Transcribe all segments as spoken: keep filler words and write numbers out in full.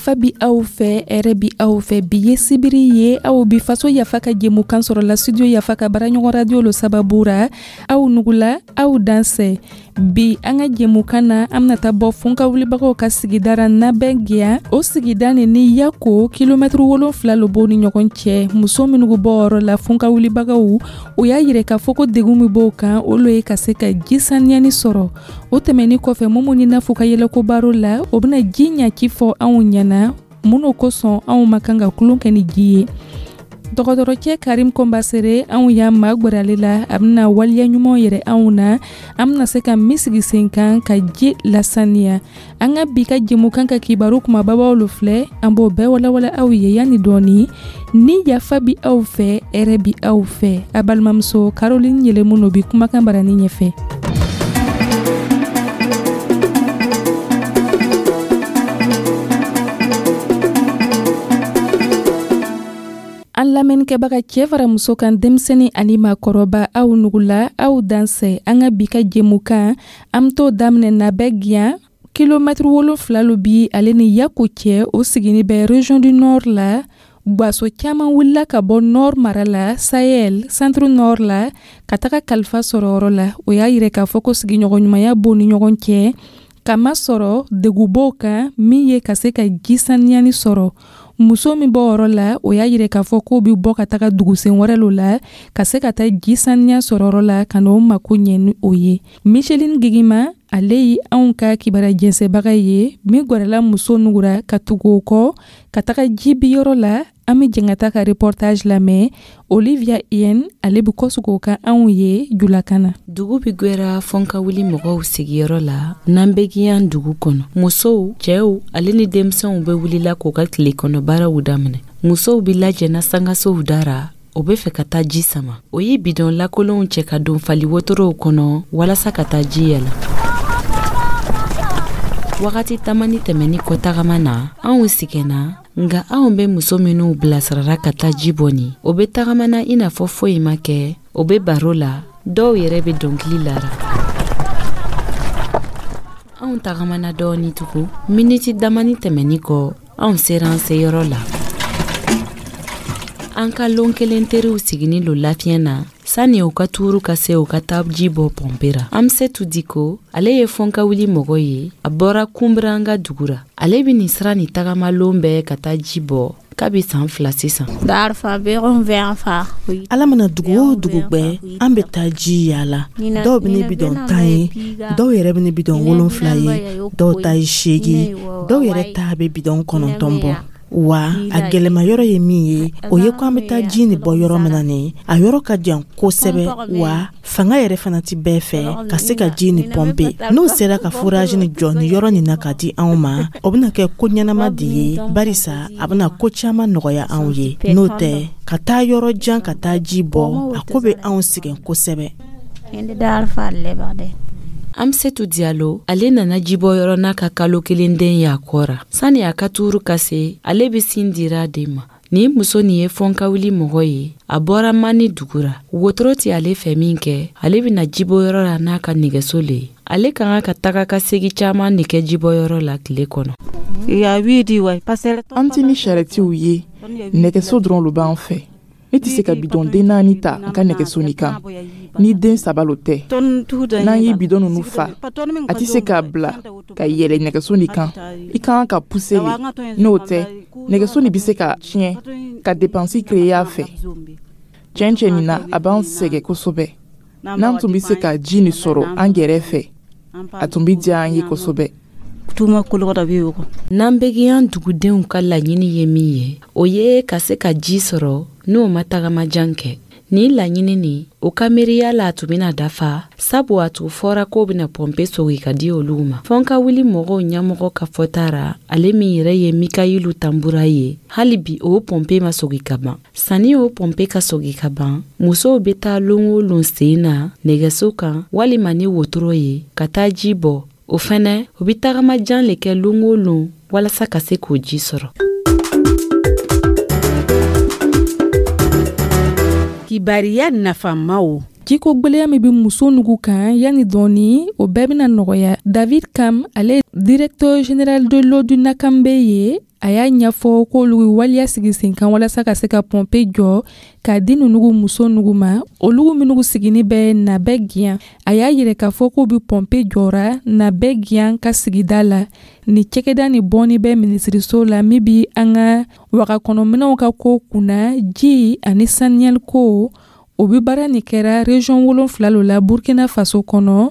Yafa bi aw fɛ, hɛrɛ bi aw fɛ. Bi ye sibiri ye, aw bi Faso Yafa ka jɛmukan sɔrɔ la studio Yafa ka baaraɲɔgɔn radio lo sababu ra. Aw nugula, aw dansɛ. Bi an ka jɛmukan na, an bɛna taa bɔ Funka wulibagaw ka sigida ra Nabɛn. O sigida nin ni Yako, kilomɛtiri wolonfila lo b'o ni ɲɔgɔn cɛ. Muso minnu bɔ yɔrɔ la, Funka wulibagaw, o y'a yira k'a fɔ ko degun min b'o kan, o lo ye ka se ka ji saniyani sɔrɔ. O tɛmɛni kɔfɛ, Mumu ni Nafu ka yɛlɛko baro la, o bɛna ji ɲaci fɔ anw ɲɛna, mun kosɔn anw ma kan ka tulon kɛ ni ji ye. Dɔgɔtɔrɔcɛ Karim Kɔnbasere, anw y'a magwɛrɛ ale la, a bɛna waleya ɲumanw yɛrɛ anw na, an bɛna se ka min sigi sen kan ka ji lasaniya. An ka bi ka jɛmukan ka kibaru kumababaw lo filɛ, an b'o bɛɛ walawala aw ye yanni dɔɔni. Ni yafa bi aw fɛ, hɛrɛ bi aw fɛ. A balimamuso Caroline Yɛlɛmu no bi kumakan barani ɲɛfɛ. An lamɛnnikɛbaga, cɛ fara muso kan, denmisɛnnin ani maakɔrɔba, aw nugula, aw dansɛ. An ka bi ka jɛmukan, an bɛ t'o daminɛ Nabɛn, kilomɛtiri wolonfila lo bi ale ni Yako cɛ. O sigini bɛ région du Nord la. Gwaso caman wulila ka bɔ Nord mara la, Sahel, Centre Nord la, ka taga kalifa sɔrɔ yɔrɔ la. O y'a yira k'a fɔ ko sigiɲɔgɔn ɲumanya b'o ni ɲɔgɔn cɛ, kamasɔrɔ degun b'o kan min ye ka se ka ji saniyani sɔrɔ. Muso min bɔ yɔrɔ la, o y'a yira k'a fɔ k'o bɛ bɔ ka taga dugusen wɛrɛ lo la ka se ka taa ji saniya sɔrɔ yɔrɔ la, ka n'o mako ɲɛ ni o ye. Micheline Gigima, ale ye anw ka kibaruya jɛnsɛbaga ye min gwɛrɛla muso nugura ka tugu o kɔ ka taga ji bi yɔrɔ la. An bɛ jɛn ka taa ka reportage lamɛn. Olivia Yen, ale bɛ kɔsegin o kan anw ye julakan na. Dugu bi gwɛra Fɔnka wuli mɔgɔw sigiyɔrɔ la Nanbegiyan dugu kɔnɔ. Musow, cɛw ale ni denmisɛnw bɛ wulila k'u ka tile kɔnɔ baaraw daminɛ. Musow bi lajɛna sangasow dara, o bɛ fɛ ka taa ji sama. O ye bidɔn lakolonw cɛ ka don fali wotorow kɔnɔ walasa ka taa ji yɛlɛ. Wagati tamani tɛmɛni kɔ tagama na, anw sigɛnna, nka anw bɛ muso minnu bilasirara ka taa ji bɔ nin, o bɛ tagamana i n'a fɔ foyi ma kɛ. O bɛ baro la, dɔw yɛrɛ bɛ dɔnkili lara. Anw tagamana dɔɔni tugun, miniti damani tɛmɛni kɔ, anw sera an seyɔrɔ la. An ka lon kelen teriw siginin lo lafiɲɛ na sani u ka tuuru ka se u ka taa ji bɔ pɔnpe ra. Amsetu Diko, ale ye Fɔnka wuli mɔgɔ ye, a bɔra Kunbiranga dugu ra. Ale bɛ nin sira nin tagama lon bɛɛ ka taa ji bɔ kabi san fila sisan. Ala mana dugu o dugu gbɛ, an bɛ taa ji yaala. Dɔw bɛ ne bidɔn tan ye, dɔw yɛrɛ bɛ ne bidɔn wolonfila ye, dɔw ta ye seegin, dɔw yɛrɛ ta bɛ bidɔn kɔnɔntɔn bɔ. Wa a gɛlɛma yɔrɔ ye min ye, o ye ko an bɛ taa ji nin bɔ yɔrɔ min na nin, a yɔrɔ ka jan kosɛbɛ, wa fanga yɛrɛ fana ti bɛɛ fɛ ka se ka ji nin pɔnpe. N'o sera ka forage nin jɔ nin yɔrɔ nin na ka di anw ma, o bɛna kɛ ko ɲɛnama de ye, barisa a bɛna ko caman nɔgɔya anw ye. N'o tɛ, ka taa yɔrɔ jan ka taa ji bɔ, a ko bɛ anw sɛgɛn kosɛbɛ. Amsetu Diallo, ale nana jibɔyɔrɔ n'a ka kalo kelen den y'a kɔ ra. Sani a ka tuuru ka se, ale bɛ sin dira den ma. Nin muso nin ye Fɔnkawuli mɔgɔ ye, a bɔra Mani dugu ra. Wotoro tɛ ale fɛ min kɛ, ale bɛna jibɔyɔrɔ la n'a ka nɛgɛso le ye. Ale ka kan ka taga ka segi caman de kɛ jibɔyɔrɔ la tile kɔnɔ. An tɛ ni sarɛtiw ye, nɛgɛso dɔrɔn lo b'an fɛ. Ne tɛ se ka bidɔn den naani ta n ka nɛgɛso nin kan ni den saba lo tɛ. N'an ye bidɔn ninnu fa, a tɛ se k'a bila ka yɛlɛ nɛgɛso nin kan, i ka kan ka puse le. N'o tɛ, nɛgɛso nin bɛ se ka tiɲɛ ka depansi créer a fɛ. Tiɲɛ tiɲɛ nin na, a b'an sɛgɛn kosɛbɛ. N'an tun bɛ se ka ji nin sɔrɔ an gɛrɛ fɛ, a tun bɛ diya an ye kosɛbɛ. Nanbegiyan dugudenw ka laɲini ye min ye, o ye ka se ka ji sɔrɔ n'o ma tagama jan kɛ. Nin laɲini nin, o ka miiriya la, a tun bɛna dafa, sabu a tun fɔra k'o bɛna pɔnpe sogi ka di olu ma. Fɔnka wuli mɔgɔw ɲɛmɔgɔ ka fɔta ra, ale min yɛrɛ ye Mikayilu Tanbura ye, hali bi o pɔnpe ma sogi ka ban. Sanni o pɔnpe ka sogi ka ban, musow bɛ taa lon o lon sen na nɛgɛso kan walima ni wotoro ye ka taa ji bɔ. O fɛnɛ, u bɛ tagama jan le kɛ lon o lon walasa ka se k'o ji sɔrɔ. Kibariya nafamaw. Jiko gwɛlɛya min bɛ muso nugu kan, yanni dɔɔni o bɛɛ bɛna nɔgɔya. David Kam, ale directeur général de l'eau du Nakambe ye. A y'a ɲɛfɔ k'olu ye waleya sigi sen kan walasa ka se ka pɔnpe jɔ k'a di nunugu muso nugu ma, olugu minnu sigini bɛ Nabɛgiyan. A y'a yira k'a fɔ k'u bɛ pɔnpe jɔra Nabɛgiyan ka sigida la. Ni cɛkɛda ni bɔnni bɛ minisiriso la min bi an ka wagakɔnɔminɛw ka ko kunna, ji ani saniyaliko. O bi baara nin kɛra région wolonfila lo la Burkina Faso kɔnɔ.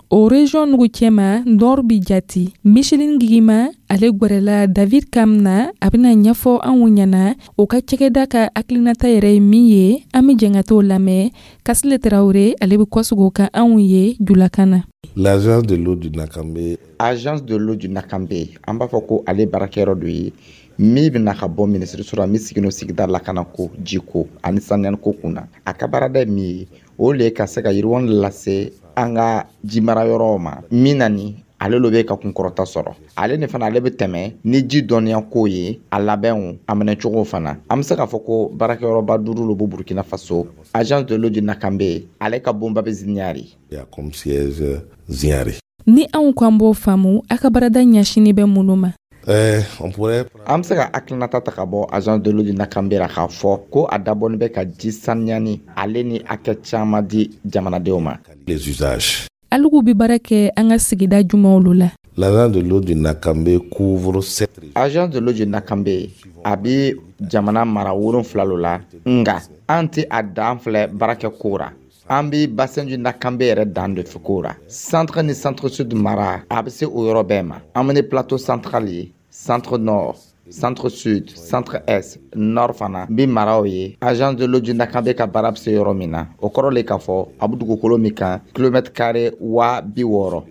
O région nugu cɛma, Nord bi jati. Micheline Gigima, ale gwɛrɛla David Kam na, a bɛna ɲɛfɔ anw ɲɛna o ka cɛkɛda ka hakilinata yɛrɛ ye min ye. An bɛ jɛn ka t'o lamɛn. Kasile Tarawele, ale bɛ kɔsegin o kan anw ye julakan na. L'agence de l'eau du Nakambe. Agence de l'eau du Nakambe, an b'a fɔ ko ale baarakɛyɔrɔ dɔ ye min bɛna ka bɔ minisiriso la, min sigilen sigida lakana ko, jiko ani saniyali ko kunna. A ka baarada ye min ye, o le ye ka se ka yiriwa lase an ka jimara yɔrɔw ma. Min na ni ale lo bɛ ka kunkɔrɔta sɔrɔ, ale ni fana ale bɛ tɛmɛ ni ji dɔnniya ko ye, a labɛnw, a minɛcogo fana. An bɛ se k'a fɔ ko baarakɛyɔrɔba duuru lo bɛ Burukina Faso. Agence de l'eau du Nakambe, ale ka bonba bɛ Ziniyari. Comme siège Ziniyari. Ni anw k'an b'o faamu, a ka baarada ɲɛsinni bɛ minnu ma? Euh, on pourrait An bɛ se ka hakilinata ta ka bɔ agence de l'eau du Nakambe la k'a fɔ ko a dabɔnin bɛ ka ji saniyani ale ni hakɛ caman di jamanadenw ma. Les usages. Alugu bɛ baara kɛ an ka sigida jumɛnw lo la? L'agence de l'eau du Nakambe couvre sept régions. Agence de l'eau du Nakambe, a bɛ jamana mara wolonfila lo la, nga an tɛ a dan filɛ baarakɛ ko ra. An bɛ bassin du Nakambe yɛrɛ dan de fɛ ko ra. Centre ni Centre Sud mara, a bɛ se o yɔrɔ bɛɛ ma. An bɛ ni Plateau Central ye, Centre Nord, Centre Sud, Centre Est, Nord fana bi maraw ye. Agence de l'eau du Nakambe ka baara bɛ se yɔrɔ min na, o kɔrɔ le k'a fɔ a bɛ dugukolo min kan, kilomètre carré waa bi wɔɔrɔ.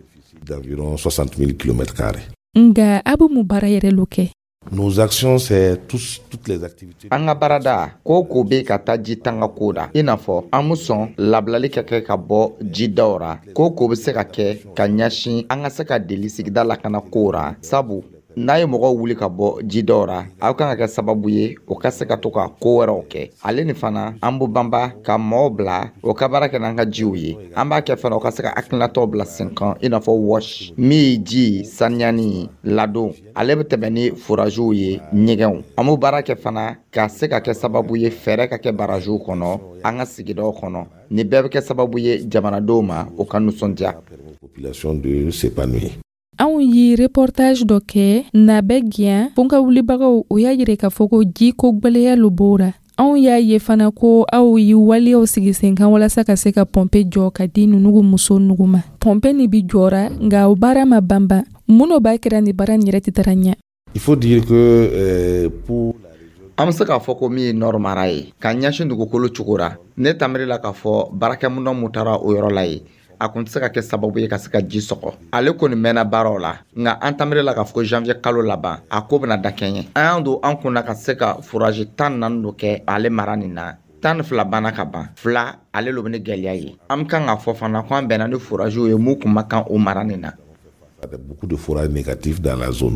D'environ soixante mille kilomètres carrés. Nga a bɛ mun baara yɛrɛ lo kɛ? Nos actions, c'est tous, toutes les activités. An ka baarada ko ko bɛ ka taa ji tanga ko da, i n'a fɔ an bɛ sɔn labilali ka kɛ ka bɔ jidaw ra, ko ko bɛ se ka kɛ ka ɲɛsin an ka se ka deli sigida lakana ko ra, sabu n'a ye mɔgɔw wuli ka bɔ jidaw ra, aw kan ka kɛ sababu ye o ka se ka to ka ko wɛrɛw kɛ. Ale ni fana, an b'o banba ka mɔgɔw bila o ka baara kɛ n'an ka jiw ye. An b'a kɛ fana o ka se ka hakilinataw bila sen kan, i n'a fɔ WASH, min ye ji saniyani ladon, ale bɛ tɛmɛ ni foragew ye, ɲɛgɛnw. An b'o baara kɛ fana ka se ka kɛ sababu ye fɛɛrɛ ka kɛ baragew kɔnɔ an ka sigidaw kɔnɔ. Nin bɛɛ bɛ kɛ sababu ye jamanadenw ma o ka nisɔndiya. Population de s'épanouir. Anw ye reportage dɔ kɛ Nabɛgiyan fo ka wulibagaw. O y'a yira k'a fɔ ko jiko gwɛlɛya lo b'o ra. Anw y'a ye fana ko aw ye waleyaw sigi sen kan walasa ka se ka pɔnpe jɔ ka di nunugu muso nugu ma. Pɔnpe nin bi jɔra, nka o baara ma banban. Mun no b'a kɛra ni baara nin yɛrɛ tɛ taara ɲɛ? Il faut dire que euh, pour An bɛ se k'a fɔ ko min ye Nord mara ye ka ɲɛsin dugukolo cogo ra, ne tamiri la k'a fɔ baarakɛminɛn mun taara o yɔrɔ la ye, a kun tɛ se ka kɛ sababu ye ka se ka ji sɔgɔ. Ale kɔni mɛnna baaraw la, nka an tamiri la k'a fɔ ko janvier kalo laban, a ko bɛna dakɛɲɛ. An y'an don an kunna ka se ka forage tan naani dɔ kɛ ale mara nin na. Tan ni fila banna ka ban, fila ale lo bɛ ni gɛlɛya ye. An bɛ kan k'a fɔ fana ko an bɛnna ni forage ye mun kun ma kan o mara nin na. Beaucoup de forages négatifs dans la zone.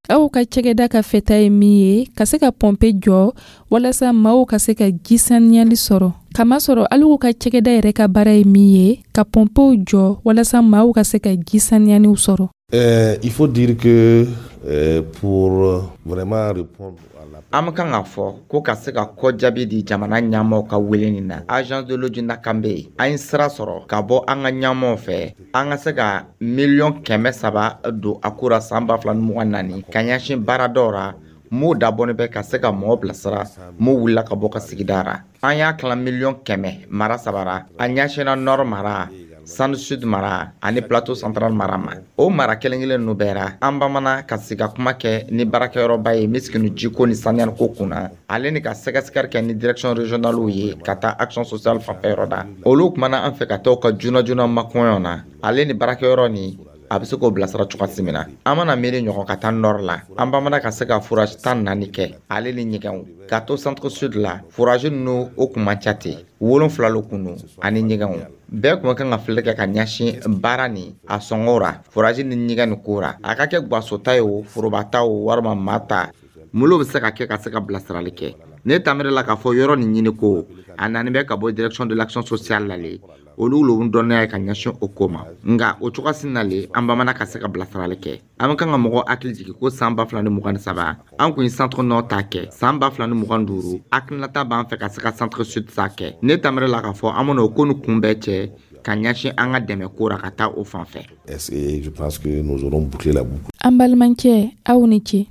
Aw ka cɛgɛda ka fɛta ye min ye, ka se ka pɔnpe jɔ walasa maaw ka se ka ji saniyali sɔrɔ, kamasɔrɔ alugu ka cɛgɛda yɛrɛ ka baara ye min ye, ka pɔnpew jɔ walasa maaw ka se ka ji saniyaniw sɔrɔ. Euh, il faut dire que euh, pour vraiment répondre à la An bɛ kan k'a fɔ ko ka se ka kɔjaabi di jamana ɲɛmaaw ka wele nin na, agence de l'eau du Nakambe, an ye sira sɔrɔ ka bɔ an ka ɲɛmaaw fɛ, an ka se ka miliyɔn kɛmɛ saba don a ko ra san ba fila ni mugan naani ka ɲɛsin baaradaw ra m'o dabɔnen bɛ ka se ka mɔgɔ bilasira m'o wulila ka bɔ ka sigida ra. An y'a tila miliyɔn kɛmɛ mara saba ra. A ɲɛsinna Nord mara, Centre Sud mara ani Plateau Central mara ma. O mara kelen kelen ninnu bɛɛ ra, an bamana ka sigi ka kuma kɛ ni baarakɛyɔrɔba ye min sigilen jiko ni saniyali ko kunna, ale ni ka sɛgɛsɛgɛli kɛ ni direction régionale ye ka taa action sociale fanfɛ yɔrɔ da. Olu kumana an fɛ ka taa u ka joona joona makɔɲɔ na, ale ni baarakɛyɔrɔ ni a bɛ se k'o bilasira cogoya min na. An mana miiri ɲɔgɔn ka taa Nord la, an bamana ka se ka forage tan naani kɛ, ale ni ɲɛgɛnw. Ka to Centre Sud la, forage ninnu o kun man ca ten, wolonfila lo kun don ani ɲɛgɛnw. Bɛɛ kun kan ka filɛ kɛ ka ɲɛsin baara nin a sɔngɔw ra, forage ni ɲɛgɛn nin ko ra, a ka kɛ guwasota ye o, foroba ta o, walima maa ta, mun bɛ se ka kɛ ka se ka bilasirali kɛ. Ne tamiri la k'a fɔ yɔrɔ nin ɲini ko A nani bɛ ka bɔ direction de l'action sociale la le, olu lo dɔnniya ye ka ɲɛsin o ko ma. Nka o cogoya na le, an bamana ka se ka bilasirali kɛ. An bɛ kan ka mɔgɔ hakili jigin ko san ba fila ni mugan ni saba, an kun ye centre nord ta kɛ. San ba fila ni mugan duuru, hakilinata b'an fɛ ka se ka centre sud ta kɛ. Ne tamɛrɛ la k'a fɔ an bɛna o ko ni kun bɛɛ cɛ ka ɲɛsin an ka dɛmɛ ko ra ka taa o fan fɛ. Et je pense que nous aurons bouclé la boucle. An balimakɛ, aw ni ce.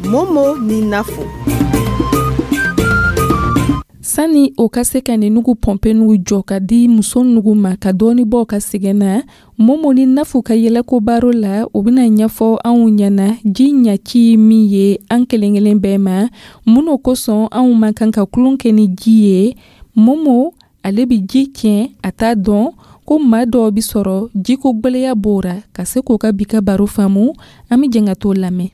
Momo ni Nafo. Sani o ka se ka nin nugu pɔnpe nugu jɔ ka di muso nugu ma ka dɔɔni bɔ ka sɛgɛn na, Momo ni Nafu ka yɛlɛko baro la, o bɛna ɲɛfɔ anw ɲɛna ji ɲaci min ye an kelen kelen bɛɛ ma, mun o kosɔn anw man kan ka tulon kɛ ni ji ye. Momo ale bɛ ji tiɲɛ, a t'a dɔn ko maa dɔw bɛ sɔrɔ jiko gwɛlɛya b'o ra. Ka se k'o ka bi ka baro faamu, an bɛ jɛn ka t'o lamɛn.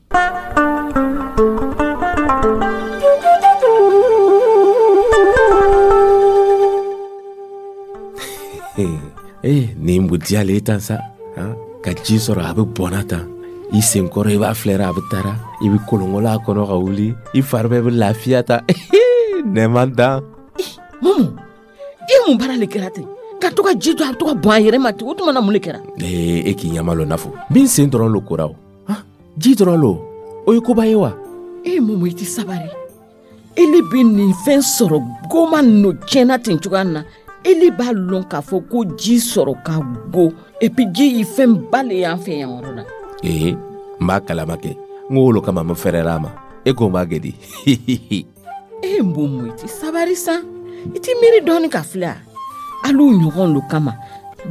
Ee, nin bu diyalen tan sa han? Ka ji sɔrɔ, a bɛ bɔnna tan i senkɔrɔ, i b'a filɛra, a bɛ taara, i bɛ kolonkolon a kɔnɔ ka wuli, i fari bɛɛ bɛ lafiya ta, nɛma dan. Momo, i mun baara le kɛra ten ka to ka ji to a bɛ to ka bɔn a yɛrɛ ma ten? O tuma na, mun le kɛra? Ee, e k'i ɲɛma lɔ, Nafo min sen dɔrɔn lo kora o. Han? Ji dɔrɔn lo, o ye koba ye wa? E Momo, i tɛ sabari. Ele bɛ nin fɛn sɔrɔ goma nɔ tiɲɛna ten cogoya min na, ele b'a lɔn k'a fɔ ko ji sɔrɔ ka go, et puis ji ye fɛn ba le y'an fɛ yan yɔrɔ la. Ee, n b'a kalama kɛ, n ko o lo kama n fɛrɛla a ma. E ko n b'a kɛ di? E Momo, i tɛ sabari san, i tɛ miiri dɔɔni ka filɛ a alu ɲɔgɔn lo kama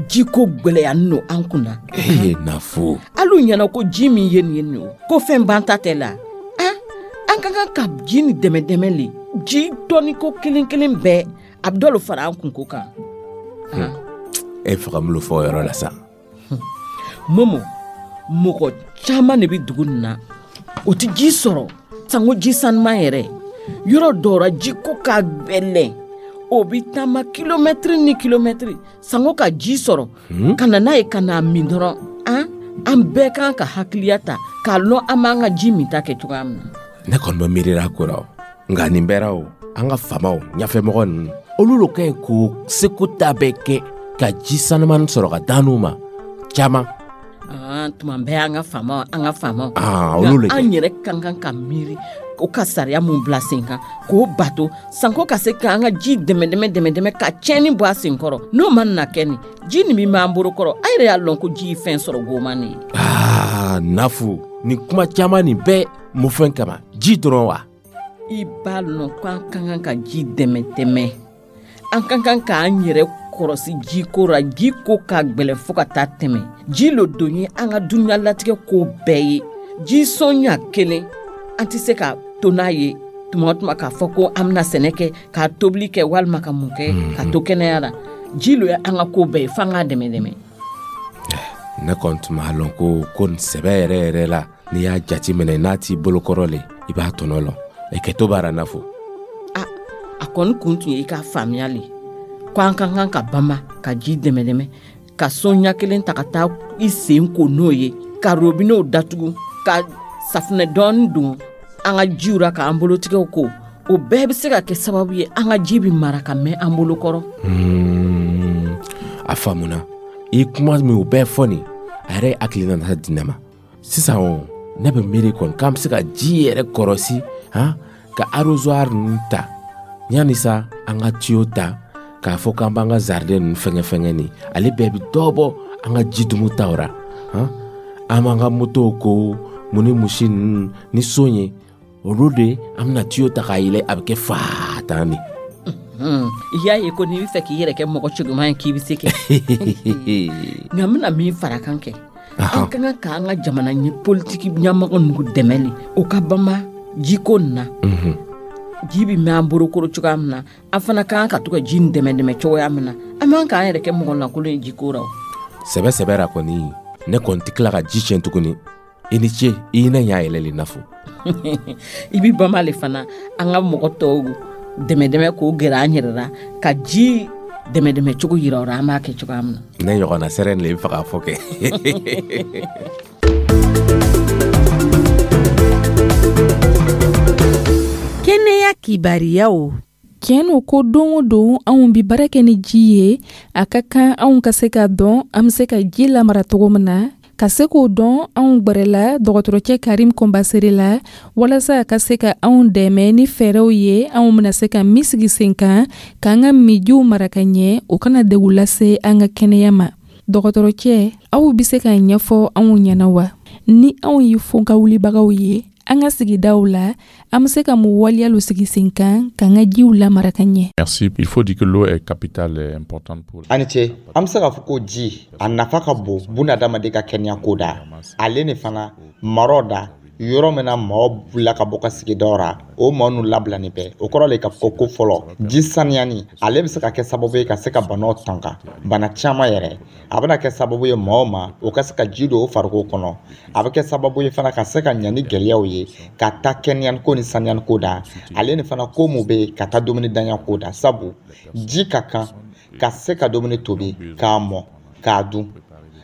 jiko gwɛlɛya nɔ an kunna. Ee, Nafo. Alu ɲɛna ko ji min ye nin ye nin o ko fɛn banta tɛ la. An an ka kan ka ji ni dɛmɛ dɛmɛ le, ji dɔɔni ko kelen kelen bɛɛ a bɛ dɔ lo fara an kunko kan. E fɛ ka mun lo fɔ o yɔrɔ la sa? Momo, mɔgɔ caman de bɛ dugu nin na, o tɛ ji sɔrɔ sanko ji sanuman yɛrɛ. Yɔrɔ dɔw la, jiko ka gbɛlɛn, o bɛ taama kilomɛtiri ni kilomɛtiri sanko ka ji sɔrɔ ka na n'a ye ka n'a min dɔrɔn. An an bɛɛ kan ka hakiliya ta k'a lɔn an b'an ka ji min ta kɛ cogoya min na. Ne kɔni bɛ miirira ko la o, nka nin bɛɛ ra o, an ka faamaw, ɲɛfɛmɔgɔ ninnu, olu lo ka ɲi k'o seko ta bɛɛ kɛ ka ji sanuman sɔrɔ ka d'an ma caman. Ah, tuma bɛɛ an ka faamaw, an ka faamaw. Ah, olu le Nka kɛ. An yɛrɛ ka kan ka miiri o ka sariya mun bila sen kan k'o bato sanko ka se k'an ka ji dɛmɛ dɛmɛ dɛmɛ dɛmɛ ka tiɲɛni bɔ a sen kɔrɔ. N'o ma na kɛ nin ji nin min b'an bolo kɔrɔ, an yɛrɛ y'a lɔn ko ji ye fɛn sɔrɔ goman de ye. Aa, Nafu, nin kuma caman nin bɛɛ mun fɛn kama? Ji dɔrɔn wa? I b'a lɔn ko an ka kan ka ji dɛmɛ dɛmɛ, an ka kan k'an yɛrɛ kɔrɔsi jiko ra. Ji ko ka gwɛlɛn fo ka taa tɛmɛ. Ji lo don ye an ka duniyalatigɛ ko bɛɛ ye. Ji sɔnya kelen, an tɛ se ka to n'a ye tuma o tuma k'a fɔ ko an bɛna sɛnɛ kɛ, ka tobili kɛ, walima ka mun kɛ ka to kɛnɛya la. Ji lo ye an ka ko bɛɛ ye, f'an k'a dɛmɛ dɛmɛ. Ne kɔni tun b'a lɔn ko ko nin sɛbɛ yɛrɛ yɛrɛ la, n'i y'a jati minɛ n'a t'i bolokɔrɔ le, i b'a tɔnɔ lɔn. E kɛto b'a ra, Nafo. A kɔni kun tun ye i k'a faamuya le ko an ka kan ka bama ka ji dɛmɛ dɛmɛ, ka sɔnya kelen ta ka taa i sen ko n'o ye, ka robinɛw datugu, ka safunɛ dɔɔni don an ka jiw ra k'an bolotigɛw ko. O bɛɛ bɛ se ka kɛ sababu ye an ka ji bɛ mara ka mɛn an bolo kɔrɔ. Hmm, a faamuna. I kuma min o bɛɛ fɔ nin, a yɛrɛ ye hakilina nata di ne ma sisan. O ne bɛ miiri kɔni k'an bɛ se ka ji yɛrɛ kɔrɔsi han, ka arrosoir ninnu ta yanni sa an ka tuyau ta k'a fɔ k'an b'an ka jardin ninnu fɛngɛ fɛngɛ nin, ale bɛɛ bɛ dɔ bɔ an ka ji dumu taw ra han. An b'an ka motow ko mun ni musi ninnu ni son ye, olu de an bɛna tuyau ta k'a yɛlɛ, a bɛ kɛ faa tan de. Hmm, i y'a ye ko n'i bɛ fɛ k'i yɛrɛ kɛ mɔgɔ cɛguman ye, k'i bɛ se kɛ. Nka n bɛna min fara kan kɛ, an ka kan k'an ka jamana ɲɛ politiki ɲɛmɔgɔ ninnu dɛmɛ le o ka bama jiko nin na. Ji bɛ mɛn an bolokɔrɔ cogoya min na, an fana ka kan ka to ka ji nin dɛmɛ dɛmɛ cogoya min na. An man k'an yɛrɛ kɛ mɔgɔ lankolon ye jiko ra o. Sɛbɛ sɛbɛ ra kɔni, ne kɔni tɛ tila ka ji tiɲɛ tuguni. I ni ce, i ye ne ɲa yɛlɛ le, Nafo. I bɛ bama le fana an ka mɔgɔ tɔw dɛmɛ dɛmɛ k'o gɛrɛ an yɛrɛ la ka ji dɛmɛ dɛmɛ cogo yira o la, an b'a kɛ cogoya min na. Ne ɲɔgɔnna sɛrɛ le bɛ fɛ k'a fɔ kɛ. Kibariyaw. Tiɲɛ no ko don o don anw bi baara kɛ ni ji ye. A ka kan anw ka se k'a dɔn an be se ka ji lamara cogo min na. Ka se k'o dɔn, anw gwɛrɛla dɔgɔtɔrɔcɛ Karim Kɔnbasere la walasa a ka se ka anw dɛmɛ ni fɛɛrɛw ye, anw bena se ka min sigi sen kan k'an ka mijiw mara ka ɲɛ, o kana degun lase an ka kɛnɛya ma. Dɔgɔtɔrɔcɛ, aw be se k'a ɲɛfɔ anw ɲɛna wa, ni anw ye fonka wulibagaw ye an ka sigidaw la, an be se ka mun waleyalu sigi sen kan k'an ka jiw lamara ka ɲɛ? Merci. Il faut dire que l'eau est capitale et importante pour. A ni ce. An bɛ se k'a fɔ ko ji, a nafa ka bon bunadamaden ka kɛnɛya ko da, ale ni fana marɔ da. Yɔrɔ min na maaw wulila ka bɔ ka sigidaw ra, o maa ninnu labilani bɛɛ, o kɔrɔ le k'a fɔ ko fɔlɔ, ji saniyani, ale bɛ se ka kɛ sababu ye ka se ka banaw tanga, bana caman yɛrɛ. A bɛna kɛ sababu ye maaw ma o ka se ka ji don o farikolo kɔnɔ. A bɛ kɛ sababu ye fana ka se ka ɲa ni gɛlɛyaw ye ka taa kɛnɛyani ko ni saniyani ko da, ale ni fana ko mun bɛ yen ka taa dumuni danya ko da, sabu ji ka kan ka se ka dumuni tobi k'a mɔ k'a dun.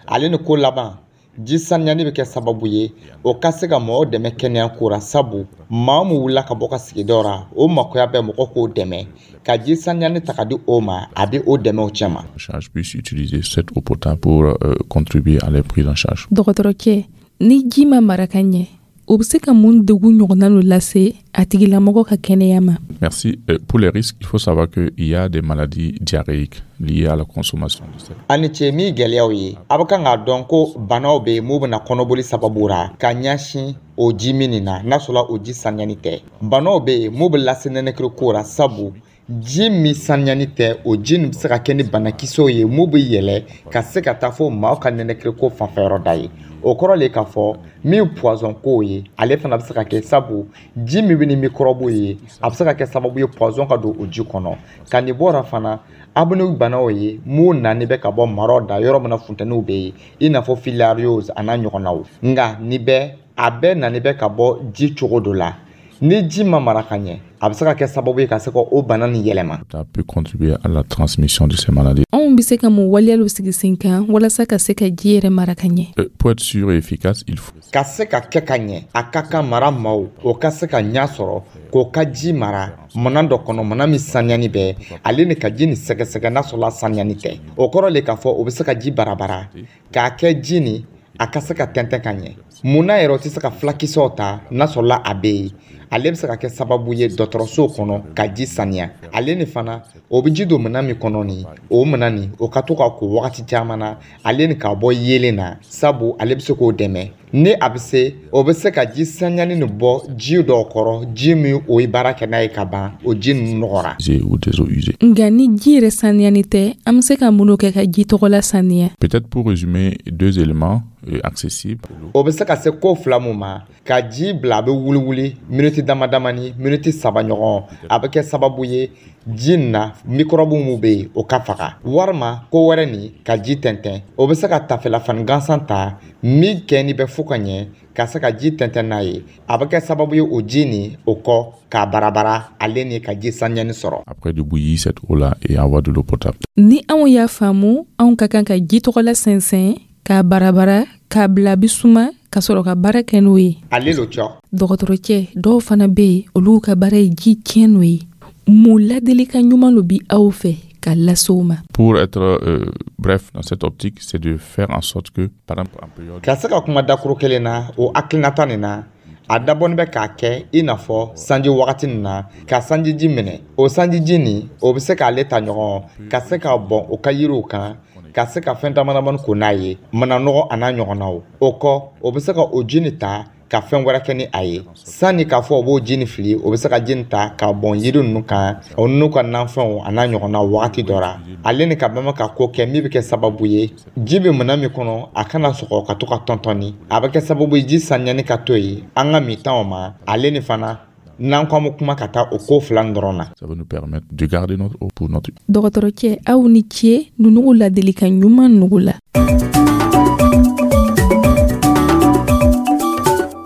Ale ni ko laban, ji saniyani bɛ kɛ sababu ye o ka se ka mɔgɔw dɛmɛ kɛnɛya ko ra, sabu maa min wulila ka bɔ ka sigidaw ra, o makoya bɛ mɔgɔ k'o dɛmɛ ka ji saniyani ta ka di o ma, a bɛ o dɛmɛ o cɛ ma. Charge puisse utiliser cette eau potable pour euh, contribuer à leur prise en charge. Dɔgɔtɔrɔcɛ, ni ji ma mara ka ɲɛ, o bɛ se ka mun degun ɲɔgɔnna lo lase a tigilamɔgɔ ka kɛnɛya ma? Merci. Euh, pour les risques, il faut savoir qu'il y a des maladies diarrhéiques liées à la consommation de cette. A ni ce. Min gɛlɛyaw ye, a bɛ kan k'a dɔn ko banaw bɛ yen mun bɛna kɔnɔboli sababu ra ka ɲɛsin o ji min nin na, n'a sɔrɔla o ji saniyani tɛ. Banaw bɛ yen mun bɛ lase nɛnɛkiri ko ra, sabu ji min saniyani tɛ, o ji nin bɛ se ka kɛ ni banakisɛw ye mun bɛ yɛlɛ ka se ka taa fo maaw ka nɛnɛkiri ko fanfɛyɔrɔ da ye. O kɔrɔ le k'a fɔ min poison kow ye, ale fana bɛ se ka kɛ, sabu ji min bɛ ni microbe ye, a bɛ se ka kɛ sababu ye poison ka don o ji kɔnɔ. Ka nin bɔra fana, a bɛ ni banaw ye mun nani bɛ ka bɔ maraw da, yɔrɔ min na funtɛniw bɛ yen, i n'a fɔ filariose a n'a ɲɔgɔnnaw. Nka nin bɛɛ, a bɛɛ nani bɛ ka bɔ ji cogo dɔ la. Ni ji ma mara ka ɲɛ, a bɛ se ka kɛ sababu ye ka se ka o bana nin yɛlɛma. Ça peut contribuer à la transmission de ces maladies. Anw bɛ se ka mun waleyalu sigi sen kan walasa ka se ka ji yɛrɛ mara ka ɲɛ? Euh, pour être sûr et efficace, il faut Ka se ka kɛ ka ɲɛ, a ka kan mara maaw o ka se ka ɲɛ sɔrɔ k'o ka ji mara mana dɔ kɔnɔ, mana min saniyani bɛ, ale ni ka ji nin sɛgɛsɛgɛ n'a sɔrɔla saniyani tɛ. O kɔrɔ le k'a fɔ o bɛ se ka ji barabara k'a kɛ ji nin a ka se ka tɛntɛn ka ɲɛ. Munna yɛrɛ o tɛ se ka fulakisɛw ta n'a sɔrɔla a bɛ yen? Ale bɛ se ka kɛ sababu ye dɔgɔtɔrɔso kɔnɔ ka ji saniya. Ale ni fana, o bɛ ji don minɛn min kɔnɔ nin, o minɛn nin, o ka to ka ko wagati caman na, ale ni k'a bɔ yeelen na, sabu ale bɛ se k'o dɛmɛ. Ni a bɛ se, o bɛ se ka ji saniyani nin bɔ ji dɔw kɔrɔ, ji min o ye baara kɛ n'a ye ka ban, o ji ninnu nɔgɔra. Ou des eaux usées. Nka ni ji yɛrɛ saniyani tɛ, an bɛ se ka mun kɛ ka ji tɔgɔla saniya? Peut-être pour résumer, deux éléments euh, accessibles. O bɛ se ka se ko fila mun ma: ka ji bila a bɛ wuli wuli miniti dama damani, miniti saba ɲɔgɔn, a bɛ kɛ sababu ye ji nin na microbe mun bɛ yen, o ka faga. Walima ko wɛrɛ nin, ka ji tɛntɛn. O bɛ se ka tafelafani gansan ta min kɛni bɛ fo ka ɲɛ ka se ka ji tɛntɛn n'a ye. A bɛ kɛ sababu ye o ji nin, o kɔ k'a barabara, ale ni ka ji saniyani sɔrɔ. Après, de bouillir cette eau-là et avoir de l'eau potable. Ni anw y'a faamu, anw ka kan ka ji tɔgɔla sɛnsɛn k'a barabara k'a bila bi suma ka sɔrɔ ka baara kɛ n'o ye. Ale lo cɔ. Dɔgɔtɔrɔcɛ, dɔw fana bɛ yen, olu ka baara ye ji tiɲɛ n'o ye. Mun ladilikan ɲuman lo bi aw fɛ ka lase o ma? Pour être euh, bref dans cette optique, c'est de faire en sorte que, par exemple, en période Ka se ka kuma dakuru kelen na, o hakilinata nin na, a dabɔnin bɛ k'a kɛ i n'a fɔ sanji wagati nin na, ka sanjiji minɛ. O sanjiji nin, o bɛ se k'ale ta ɲɔgɔn ka se ka bɔn o ka yiriw kan, ka se ka fɛn dama damani ko n'a ye, mananɔgɔ a n'a ɲɔgɔnnaw. O kɔ, o bɛ se ka o ji nin ta ka fɛn wɛrɛ kɛ ni a ye, sanni k'a fɔ o b'o ji nin fili. O bɛ se ka ji nin ta ka bɔn yiri ninnu kan, o n'u ka nafɛnw a n'a ɲɔgɔnnaw wagati dɔ la. Ale ni ka bama ka ko kɛ min bɛ kɛ sababu ye, ji bɛ minɛn min kɔnɔ, a kana sɔgɔ ka to ka tɔntɔnni. A bɛ kɛ sababu ye ji saniyani ka to yen an ka mintaw ma. Ale ni fana, n'an ko an bɛ kuma ka taa o ko fila nin dɔrɔn na. Ça va nous permettre de garder notre eau pour notre Dɔgɔtɔrɔcɛ, aw ni ce nunugu ladilikan ɲuman nugu la.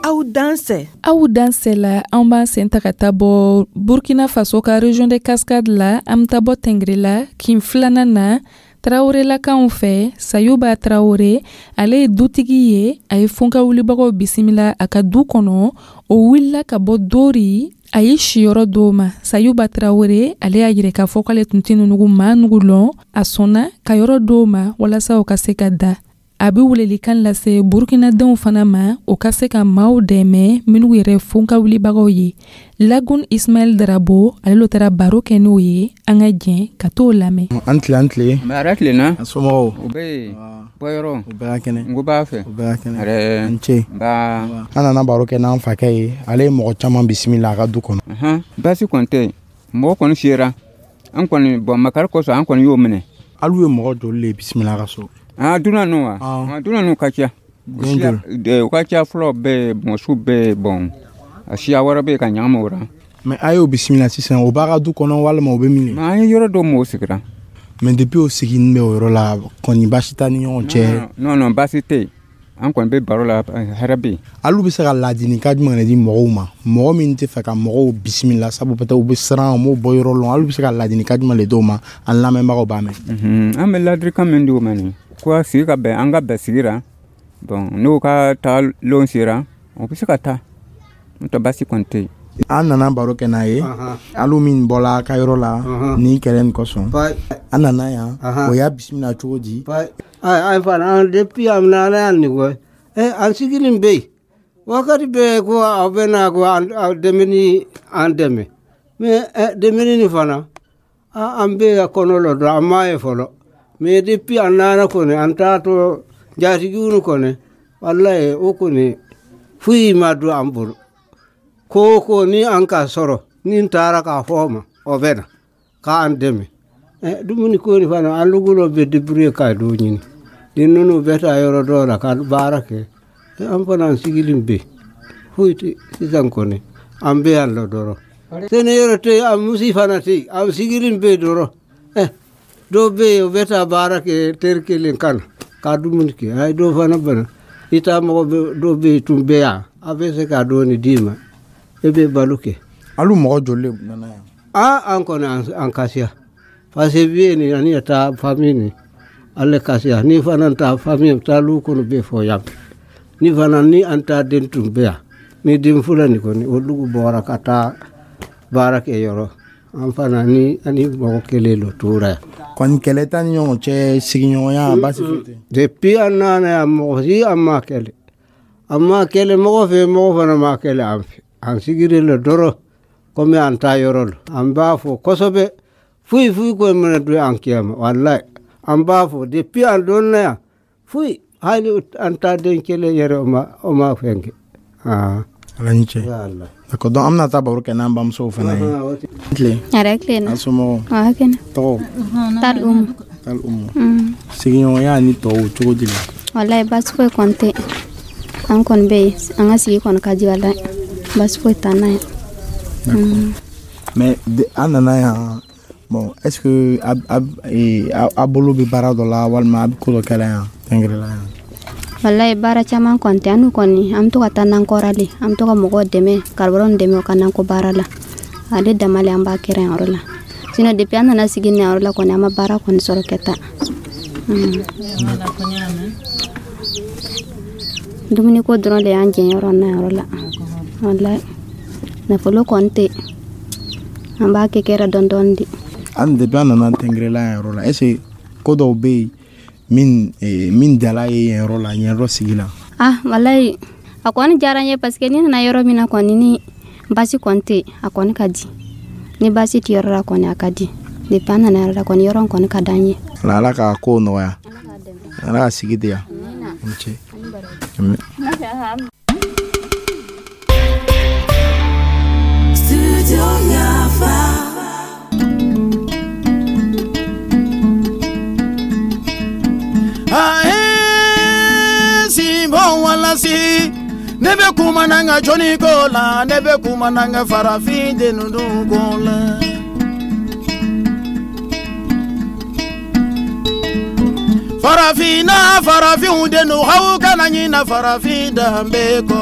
Aw dansɛ. Aw dansɛ la, an b'an sen ta ka taa bɔ Burkina Faso ka région de Cascade la. An bɛ taa bɔ Tɛngere la, kin filanan na, Tarawelelakaw fɛ. Sayuba Tarawele, ale ye dutigi ye. A ye fonka wulibagaw bisimila a ka du kɔnɔ. O wulila ka bɔ Dori. A ye siyɔrɔ dɔw ma. Sayuba Tarawele, ale y'a yira k'a fɔ k'ale tun tɛ nugu maa nugu lɔn. A sɔnna ka yɔrɔ dɔw ma walasa o ka se ka da. A bɛ welelikan lase Burukinadenw fana ma, o ka se ka maaw dɛmɛ minnu yɛrɛ fonka wulibagaw ye. Lagun Ismaɛl Darabo, ale lo taara baro kɛ n'o ye. An ka jɛn ka t'o lamɛn. An tile, an tile. Mɛ tilenna. A somɔgɔw? U bɛ yen. Bɔyɔrɔ? U bɛɛ ka kɛnɛ. N ko b'a fɛ. U bɛɛ ka kɛnɛ. Ɛrɛ. N ce. Nba. An nana baro kɛ n'an fakɛ ye. Ale ye mɔgɔ caman bisimila a ka du kɔnɔ. Baasi kɔni tɛ yen. Mɔgɔ kɔni sera. An kɔni, bɔn, makari kosɔn, an kɔni y'o minɛ. Alu ye mɔgɔ joli le bisimila a ka so? Ah, dunan ninnu wa? Ah, dunan ninnu ka ca. U ka ca. Fɔlɔ bɛ yen, mɔsiw bɛ yen, bɔn, a siya wɛrɛ bɛ yen ka ɲagami o la. Mais a y'o bisimila sisan, o b'a ka du kɔnɔ walima o bɛ min? An ye yɔrɔ dɔ mɔgɔw sigira. Mais depuis o siginin bɛ o yɔrɔ la kɔni, baasi t'a ni ɲɔgɔn cɛ? Non non, baasi tɛ yen. An kɔni bɛ baro la, hɛrɛ bɛ yen. Alu bɛ se ka ladilikan jumɛn de di mɔgɔw ma, mɔgɔ min tɛ fɛ ka mɔgɔw bisimila, sabu peut-être u bɛ siran, u m'o bɔ yɔrɔ lɔn? Alu bɛ se ka ladilikan jumɛn de d'o ma, an lamɛnbagaw b'a mɛn? An bɛ ladilikan min d'u ma nin ko sigi ka bɛn, an ka bɛn sigi la. Bon, n'o ka taa lon sera, o bɛ se ka taa, n'o tɛ baasi kɔni tɛ yen. An nana baro kɛ n'a ye, alu min bɔla a ka yɔrɔ la nin kɛlɛ nin kosɔn, an nana yan, o y'a bisimila cogo di? An fana, an depuis an nana yan nin kɔ, an sigilen bɛ yen wakati bɛɛ ko aw bɛ na ko aw dɛmɛ, an dɛmɛ. Mais dɛmɛni nin fana, an bɛ ka kɔnɔ lɔ dɔrɔn, an m'a ye fɔlɔ. Mais depuis an nana kɔni, an taatɔ jatigiw kɔni, walayi, o kɔni foyi ma don an bolo. Ko o ko ni an ka sɔrɔ ni n taara k'a fɔ o ma, o bɛ na k'an dɛmɛ. Dumuni ko nin fana, an lugulo bɛ débrouiller ka dɔ ɲini ni ninnu bɛ taa yɔrɔ dɔw la ka baara kɛ. An fana, an sigilen bɛ yen, foyi tɛ sisan kɔni, an bɛ yan lɔ dɔrɔn. Sɛnɛ yɔrɔ tɛ yen, an musi fana tɛ yen, an sigilen bɛ yen dɔrɔn. Dɔw bɛ yen, o bɛ taa baara kɛ teri kelen ka na ka dumuni kɛ. A ye dɔw fana bana i taa mɔgɔ dɔw bɛ yen tun bɛ yan, a bɛ se ka dɔɔni d'i ma, e bɛ balo kɛ. Alu mɔgɔ joli de nana yan? Aa, an kɔni, an kasiya, parce que bi nin ani taa famille nin ale kasiya ni fana ta famille taa lu kɔnɔ bɛ fɔ yan ni fana ni an ta den tun bɛ yan ni den fila nin kɔni, olu bɔra ka taa baara kɛ yɔrɔ. An fana ni ani mɔgɔ kelen lo tora yan. Kɔni kɛlɛ t'a ni ɲɔgɔn cɛ, sigiɲɔgɔnya, baasi foyi tɛ? Depuis an nana yan, mɔgɔ si an ma kɛlɛ, an ma kɛlɛ mɔgɔ fɛ, mɔgɔ fana ma kɛlɛ an fɛ. An sigilen lo dɔrɔn komi an ta yɔrɔ lo. An b'a fɔ kosɛbɛ, foyi foyi ko mana don an kiyama, walayi, an b'a fɔ depuis an donna yan, foyi, hali an ta den kelen yɛrɛ, o ma o ma fɛn kɛ. Ala ni ce. D'accord, donc an bɛna taa baro kɛ n'an bamusow fana ye. Tile. Yɛrɛ tilenna. An somɔgɔw? A kɛnɛ. Tɔgɔ? Tal Umu. Tal Umu. Sigiɲɔgɔnya ni tɔw cogo di la? Walayi, baasi foyi kɔni tɛ. An kɔni bɛ yen, an ka sigi kɔni ka di, walayi, baasi foyi t'an na yan. Mais an nana yan, bon, est ce que a bolo bɛ baara dɔ la walima a bɛ ko dɔ kɛla yan Tɛngɛrɛla yan? Walayi, baara caman kɔni tɛ. An n'u kɔni, an bɛ to ka taa nankɔra le, an bɛ to ka mɔgɔw dɛmɛ, karibaraw dɛmɛ u ka nakɔ baara la. Ale dama le an b'a kɛra yan yɔrɔ la. Sinon depuis an nana sigi nin yɔrɔ la kɔni, an ma baara kɔni sɔrɔ kɛ ta. Dumuni ko dɔrɔn de y'an jɛn yɔrɔ na yɔrɔ la. Walayi, nafolo kɔni tɛ, an b'a kɛ kɛra dɔɔni dɔɔni de. An depuis an nana Tɛngɛrɛla yan yɔrɔ la, est ce que ko dɔw bɛ yen min min diyala ye yen yɔrɔ la, yen yɔrɔ sigi la? Ah, walayi, a kɔni diyara n ye, parce que ni nana yɔrɔ min na kɔni, ni baasi kɔni tɛ, a kɔni ka di. Ni baasi tɛ yɔrɔ la kɔni, a ka di. Depuis an nana yɔrɔ la kɔni, yɔrɔ kɔni ka d'an ye. Ala ka kow nɔgɔya, Ala ka sigi diya. Ni ce. Studio Yafa. Ae simbo wala si ne bɛ kuma n'an ka jɔnni ko la, ne bɛ kuma n'an ka farafin den ninnu ko la. Farafinna, farafinw den aw kana ɲina farafin danbe kɔ.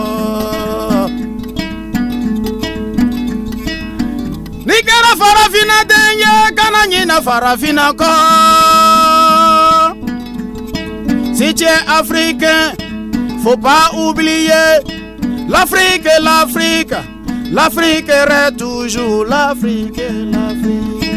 N'i kɛra farafinna den ye, kana ɲina farafinna kɔ. Si tu es africain, faut pas oublier l'Afrique, l'Afrique, L'Afrique est toujours l'Afrique, l'Afrique.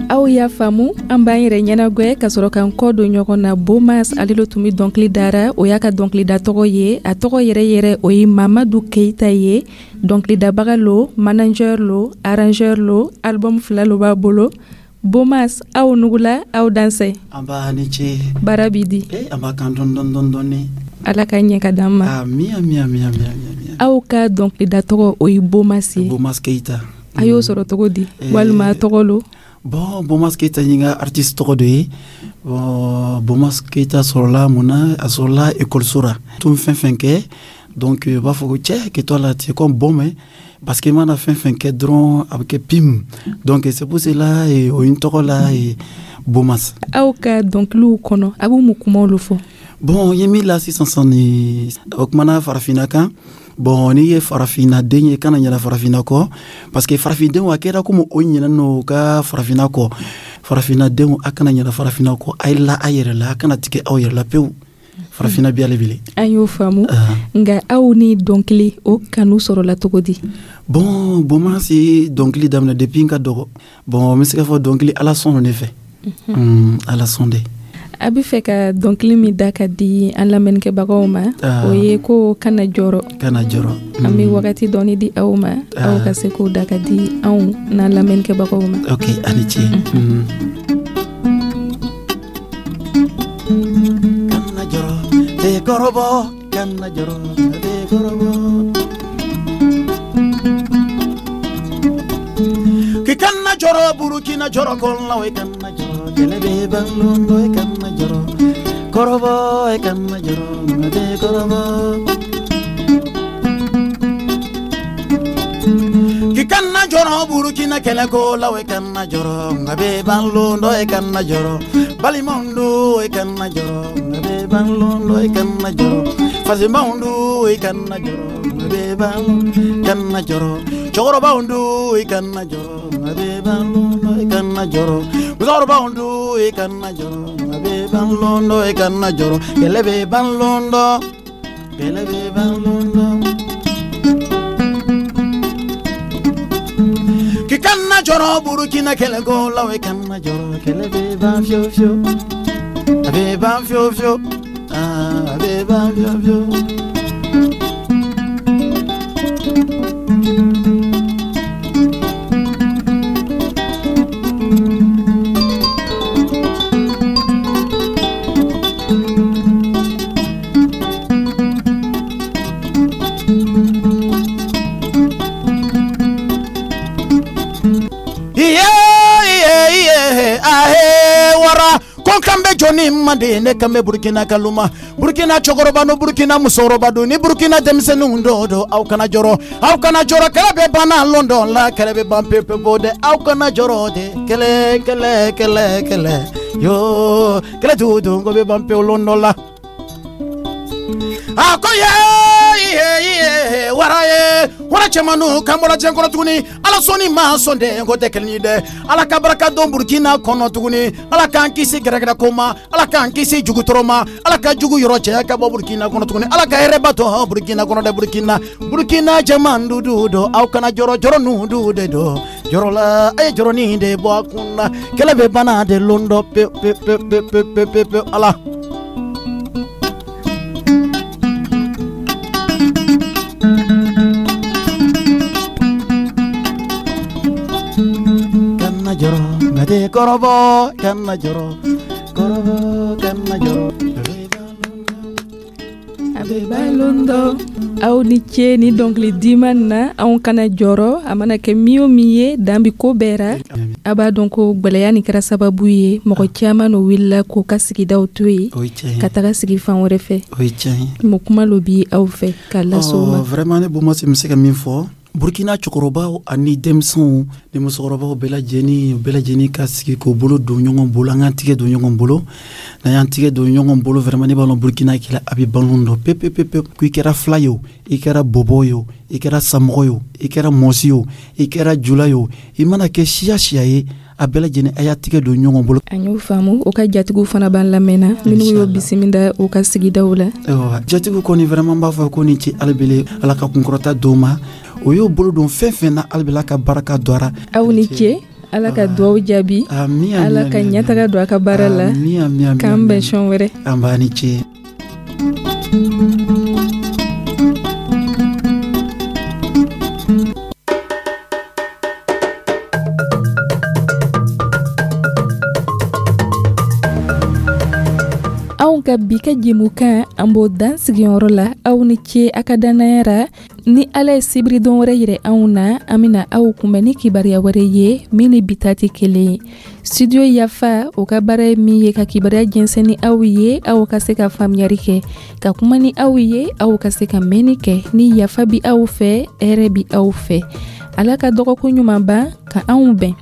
Aw y'a faamu, an b'an yɛrɛ ɲɛnagwɛ ka sɔrɔ k'an kɔ don ɲɔgɔn na. Bomas, ale lo tun bɛ dɔnkili dara, o y'a ka dɔnkilida tɔgɔ ye. A tɔgɔ yɛrɛ yɛrɛ, o ye Mamadu Keyita ye. Dɔnkilidabaga lo, manager lo, arrangeur lo, album fila lo b'a bolo. Bomas, aw nugula, aw dansɛ. An b'a ni ce. Baara b'i di? Eh, an b'a kan dɔɔni dɔɔni dɔɔni. Ala ka ɲɛ ka d'an ma. Ami, ami, ami, ami, ami. Aw ka dɔnkilida tɔgɔ, o ye Bomas ye. Bomas Keyita. A y'o sɔrɔ cogo di, walima tɔgɔ lo? Bon, Bomas Keyita ye n ka artiste tɔgɔ dɔ ye. Bon, Bomas Keyita sɔrɔla mun na? A sɔrɔla ekɔliso la. Tun fɛn fɛn kɛ, donc u b'a fɔ ko cɛ kɛ la, tu es comme bon, mais parce que i mana fɛn fɛn kɛ dɔrɔn, a bɛ kɛ pim. Donc c'est pour cela o ye n tɔgɔ la ye, Bomas. Aw ka dɔnkiliw kɔnɔ, a b'u mun kumaw lo fɔ? Bon, n ye min la sisan sisan ni o kumana farafinna kan. Bon, n'i ye farafinna den ye, kana ɲinɛ farafinna kɔ, parce que farafindenw a kɛra komi o ɲinɛ n'o ka farafinna kɔ. Farafinna denw, a kana ɲinɛ farafinna kɔ. A ye la a yɛrɛ la, a kana tigɛ aw yɛrɛ la pewu. Farafinna bi ale bile. An y'o faamu, nka aw ni dɔnkili o kanu sɔrɔla cogo di? Bon, Bomas ye dɔnkili daminɛ depuis n ka dɔgɔ. Bon, n bɛ se k'a fɔ dɔnkili, Ala sɔn ne fɛ. Mm, ala sɔn de. A bɛ fɛ ka dɔnkili min da ka di an lamɛnnikɛbagaw ma, o ye ko kana jɔrɔ. Kana jɔrɔ. An bɛ wagati dɔɔni di aw ma, aw ka se k'o da ka di anw n'an lamɛnnikɛbagaw ma. Ok, a ni ce. Kana jɔrɔ te kɔrɔbɔ, kana jɔrɔ te kɔrɔbɔ. K'i kana jɔrɔ Burukina jɔrɔ kɔnɔ, i kana jɔrɔ kɛlɛ bɛ ban lon dɔ, i kana jɔrɔ kɔrɔbɔ, i kana jɔrɔ tɛ kɔrɔbɔ. K'i kana jɔrɔ Burukina kɛlɛ ko la, i kana jɔrɔ nka bɛ ban lon dɔ, i kana jɔrɔ balimaw do, i kana jɔrɔ nka bɛ ban lon dɔ, i kana jɔrɔ fasimaw do, i kana jɔrɔ nka bɛ ban, kana jɔrɔ cɛkɔrɔbaw do, i kana jɔrɔ nka bɛ ban lon dɔ, i kana jɔrɔ musokɔrɔbaw do, i kana jɔrɔ nka bɛ ban lon dɔ, i kana jɔrɔ kɛlɛ bɛ ban lon dɔ, kɛlɛ bɛ ban lon dɔ. K'i kana jɔrɔ Burukina kɛlɛ ko la, i kana jɔrɔ kɛlɛ bɛ ban fiyewu fiyewu, a bɛ ban fiyewu fiyewu, a bɛ ban fiyewu fiyewu. Jɔnni manden, ne kan bɛ Burukina kaloma, Burukina cɛkɔrɔba no, Burukina musokɔrɔba don, ni Burukina denmisɛnninw dɔw don, aw kana jɔrɔ, aw kana jɔrɔ, kɛlɛ bɛ ban lon dɔ la, kɛlɛ bɛ ban pewu pewu dɛ, aw kana jɔrɔ de, kɛlɛ kɛlɛ kɛlɛ kɛlɛ yo kɛlɛ tugu don ko bɛ ban pewu lon dɔ la. A ko ye ye wara ye wara cɛmannu kan bɔra diɲɛ kɔnɔ tuguni. Ala sɔnni ma sɔn dɛ, ko tɛ kelen ye dɛ. Ala ka barika don Burukina kɔnɔ tuguni. Ala k'an kisi gɛrɛgɛrɛ ko ma, Ala k'an kisi jugutɔrɔ ma, Ala ka jugu yɔrɔ cɛya ka bɔ Burukina kɔnɔ tuguni. Ala ka hɛrɛba to Burukina kɔnɔ dɛ. Burukina, Burukina cɛman dudu do, aw kana jɔrɔ, jɔrɔ nu du de do, jɔrɔ la a ye jɔrɔnin de bɔ a kun na, kɛlɛ bɛ bana de lon dɔ pe pe pe pe pe pe pe Ala. Jɔrɔ nka tɛ kɔrɔbɔ, kana jɔrɔ kɔrɔbɔ, kana jɔrɔ a bɛ ban lon dɔ. Aw ni ce ni dɔnkili diman na. Anw kana jɔrɔ, a mana kɛ min o min ye, dan bi ko bɛɛ ra. A b'a dɔn ko gwɛlɛya nin kɛra sababu ye, mɔgɔ caman no wulila k'u ka sigidaw to yen ka taga sigi fan wɛrɛ fɛ. Mun kuma lo bi aw fɛ k'a lase u ma? Vraiment, ne Bomas bɛ se ka min fɔ, Burukina cɛkɔrɔbaw ani denmisɛnw ni musokɔrɔbaw bɛɛ lajɛlen, bɛɛ lajɛlen ka sigi k'o bolo don ɲɔgɔn bolo, an k'an tigɛ don ɲɔgɔn bolo. N'an y'an tigɛ don ɲɔgɔn bolo, vraiment ne b'a lɔn Burukina kɛlɛ a bɛ ban lon dɔ pe pe pe pe. Ko i kɛra fila ye o, i kɛra bɔbɔ ye o, i kɛra samɔgɔ ye o, i kɛra mɔsi ye o, i kɛra jula ye o, i mana kɛ siya siya ye, A bɛɛ lajɛlen, a y'a tigɛ don ɲɔgɔn bolo. An y'o faamu. O ka jatigiw fana b'an lamɛnna, minnu y'o bisimila u ka sigidaw la. Ayiwa, jatigiw kɔni, vraiment, b'a fɔ ko ni ce alibele. Ala ka kunkɔrɔta d'o ma. O y'o bolo don fɛn fɛn na, alibele ka baraka don a. Aw ni ce. Ala ka duwawu jaabi, Ala ka ɲɛtaga don a ka baara la. K'an bɛn sɔn wɛrɛ. An b'a ni ce. Anw ka bi ka jɛmukan, an b'o dan sigiyɔrɔ la. Aw ni ce a ka dannaya ra. Ni Ala ye sibiridon wɛrɛ yɛrɛ anw na, an bena aw kunbɛn ni kibaruya wɛrɛ ye min ni bi ta tɛ kelen ye. Studio Yafa, o ka baara ye min ye ka kibaruya jɛnsɛn ni aw ye, aw ka se ka faamuyari kɛ, ka kuma ni aw ye, aw ka se ka mɛnni kɛ. Ni yafa bi aw fɛ, hɛrɛ bi aw fɛ. Ala ka dɔgɔkun ɲuman ban ka anw bɛn.